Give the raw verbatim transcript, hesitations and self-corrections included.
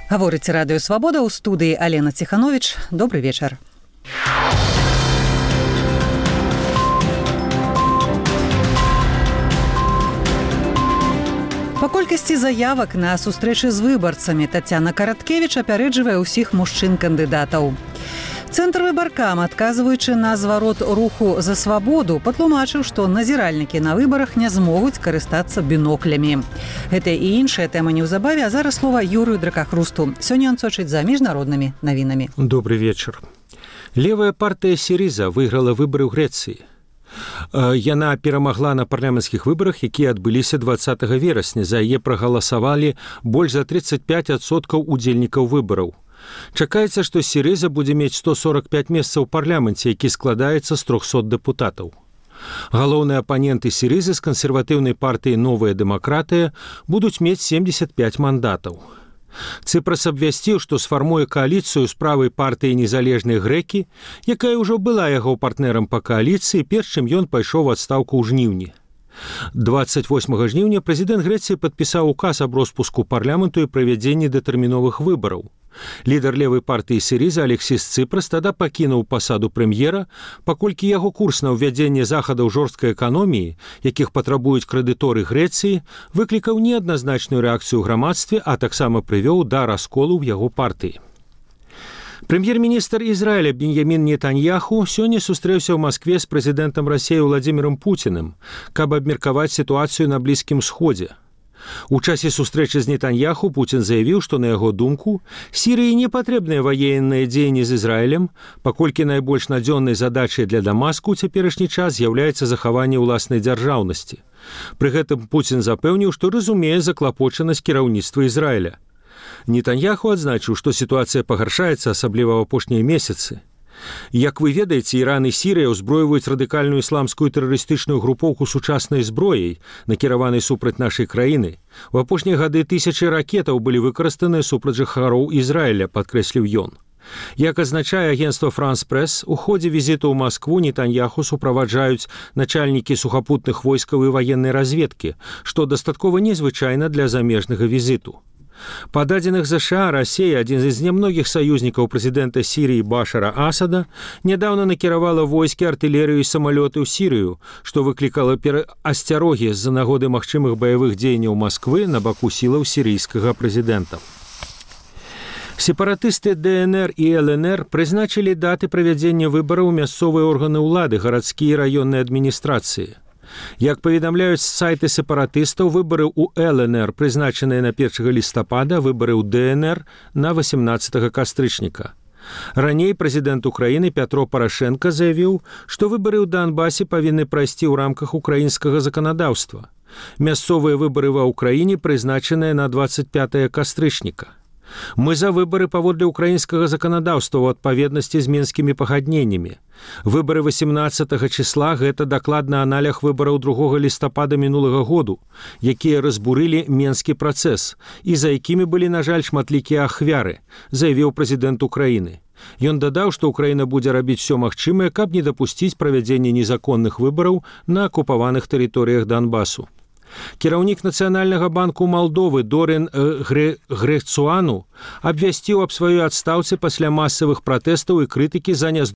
Гаворыць радыё Свабода, ў студыі Алена Ціхановіч. Добры вечар. Па колькасці заявак на сустрэчы з выбарцамі Тацяна Караткевіч апярэджвае ўсіх мужчын-кандыдатаў. Цэнтр выбаркам, адказваючы на зварот руху за свабоду, патлумачыў, што назіральнікі на выбарах не змогуць карыстацца біноклямі. Гэта і іншая тэма неўзабаве, а зараз слова Юрыю Дракахрусту. Сёння ён сочыць за міжнароднымі навінамі. Добрый вечар. Левая партыя Сірыза выйграла выбары ў Грэцыі. Яна перамагла на парламенцкіх выбарах, якія адбыліся дваццатага верасня. За яе прагаласавалі больш за тридцать пять адсоткаў удзельнікаў выбараў. Чакаецца, што Сірыза будзе мець сто сорок пять месцаў у парламенце, які складаецца з трохсот дэпутатаў. Галоўныя апаненты Сірызы з кансерватыўнай партыі «Новая дэмакратыя» будуць мець семьдесят пять мандатаў. Цыпрас абвясціў, што сфармуе кааліцыю з правай партыі «Незалежныя грэкі», якая ўжо была яго партнерам па кааліцыі, перш чым ён пайшоў у адстаўку ў жніўні. двадцать восьмага жніўня прэзідэнт Грэцыі падпісаў указ аб роспуску парламенту і правядзенні дэтэрміновых выбараў. Лідар левай партыі Сірыза Алексіс Цыпрас тада пакінуў пасаду прэм'ера, паколькі яго курс на ўвядзенне захадаў жорсткай эканоміі, якіх патрабуюць крэдыторы Грэцыі, выклікаў неадназначную рэакцыю ў грамадстве, а таксама прывёў да расколу ў яго партыі. Прэм'ер-міністр Ізраіля Беньямін Нетаньяху сёння сустрэўся ў Маскве з прэзідэнтам Расіі Владзімірам Пуціным, каб абмеркаваць сітуацыю на Блізкім Сходзе. У часе сустрэчы з Нетаньяху Пуцін заявіў, што на яго думку Сірыі не патрэбныя ваенныя дзеянні з Ізраілем, паколькі найбольш надзённай задачай для Дамаску ў цяперашні час з'яўляецца захаванне ўласнай дзяржаўнасці. Пры гэтым Пуцін запэўніў, што разумее заклапочанасць кіраўніцтва Ізраіля. Нетаньяху адзначыў, што сітуацыя пагаршаецца, асабліва ў апошнія месяцы. Як вы ведаеце, Іран і Сірыя ўзброюваюць радыкальную ісламскую тэрарыстычную групоўку сучаснай зброяй, накіраванай супраць нашай краіны. У апошнія гады тысячы ракетаў былі выкарыстаныя супраць жыхароў Ізраіля, падкрэсліў ён. Як азначае агенцтва «Франс Прэс», у ходзе візіту ў Маскву Нетаньяху суправаджаюць начальнікі сухапутных войскаў і ваеннай разведкі, што дастаткова незвычайна для замежнага візіту. Па дадзеных ЗША, Расія, адзін з нямногіх саюзнікаў прэзідэнта Сірыі Башара Асада, нядаўна накіравала войскі, артылерыю і самалёты ў Сірыю, што выклікала асцярогі з-за нагоды магчымых баявых дзеянняў Масквы на баку сілаў сірыйскага прэзідэнта. Сепаратысты ДНР і ЛНР прызначылі даты правядзення выбараў у мясцовыя органы ўлады, гарадскія і раённыя адміністрацыі. Як паведамляюць сайты сепаратыстаў, выбары ў ЛНР прызначаныя на першага лістапада, выбары ў ДНР на восемнадцатага кастрычніка. Раней прэзідэнт Украіны Пятро Парашенка заявіў, што выбары ў Донбасе павінны прайсці ў рамках украінскага заканадаўства. Мясцовыя выбары ва ўкраіне прызначаныя на двадцать пятага кастрычніка. Мы за выбары паводле украінскага заканадаўства ў адпаведнасці з мінскімі пагадненнямі. Выбары восемнадцатага числа – гэта дакладна аналог выбараў другога лістапада мінулага году, якія разбурылі менскі працэс і за якімі былі, на жаль, шматлікія ахвяры, заявіў прэзідэнт Украіны. Ён дадаў, што Украіна будзе рабіць все магчымае, каб не дапусціць правядзення незаконных выбараў на акупаваных тэрыторыях Донбасу. Кіраўнік Нацыянальнага банку Малдовы Дорен Грецуану абвясціў аб сваёй адстаўцы пасля масавых пратэстаў і крытыкі за